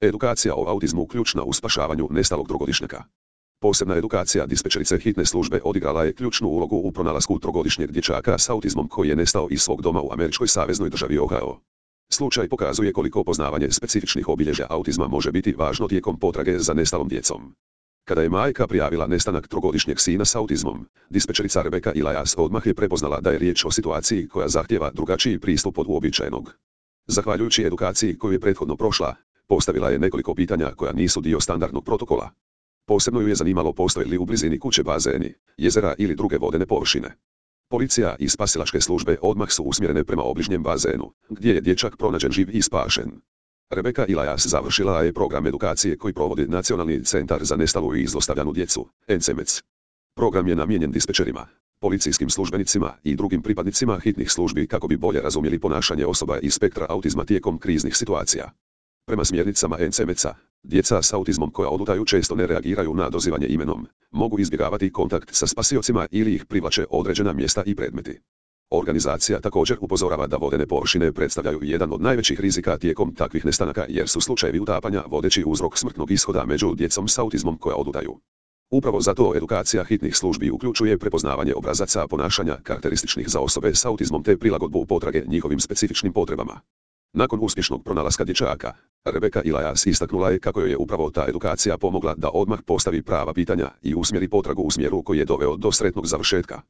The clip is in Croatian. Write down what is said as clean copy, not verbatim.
Edukacija o autizmu ključna u spašavanju nestalog trogodišnjaka. Posebna edukacija dispečerice hitne službe odigrala je ključnu ulogu u pronalasku trogodišnjeg dječaka s autizmom koji je nestao iz svog doma u američkoj saveznoj državi Ohio. Slučaj pokazuje koliko poznavanje specifičnih obilježja autizma može biti važno tijekom potrage za nestalom djecom. Kada je majka prijavila nestanak trogodišnjeg sina s autizmom, dispečerica Rebecca Elias odmah je prepoznala da je riječ o situaciji koja zahtijeva drugačiji pristup od uobičajenog. Zahvaljujući edukaciji koju je prethodno prošla, postavila je nekoliko pitanja koja nisu dio standardnog protokola. Posebno ju je zanimalo postoje li u blizini kuće bazeni, jezera ili druge vodene površine. Policija i spasilačke službe odmah su usmjerene prema obližnjem bazenu, gdje je dječak pronađen živ i spašen. Rebecca Elias završila je program edukacije koji provodi Nacionalni centar za nestalu i zlostavljanu djecu, NCMEC. Program je namijenjen dispečerima, policijskim službenicima i drugim pripadnicima hitnih službi kako bi bolje razumjeli ponašanje osoba iz spektra autizma tijekom kriznih situacija. Prema smjernicama NCMEC-a, djeca s autizmom koja odlutaju često ne reagiraju na dozivanje imenom, mogu izbjegavati kontakt sa spasiocima ili ih privlače određena mjesta i predmeti. Organizacija također upozorava da vodene površine predstavljaju jedan od najvećih rizika tijekom takvih nestanaka jer su slučajevi utapanja vodeći uzrok smrtnog ishoda među djecom s autizmom koja odlutaju. Upravo zato edukacija hitnih službi uključuje prepoznavanje obrazaca ponašanja karakterističnih za osobe s autizmom te prilagodbu potrage njihovim specifičnim potrebama. Nakon uspješnog pronalaska dječaka, Rebecca Elias istaknula je kako joj je upravo ta edukacija pomogla da odmah postavi prava pitanja i usmjeri potragu u smjeru koji je doveo do sretnog završetka.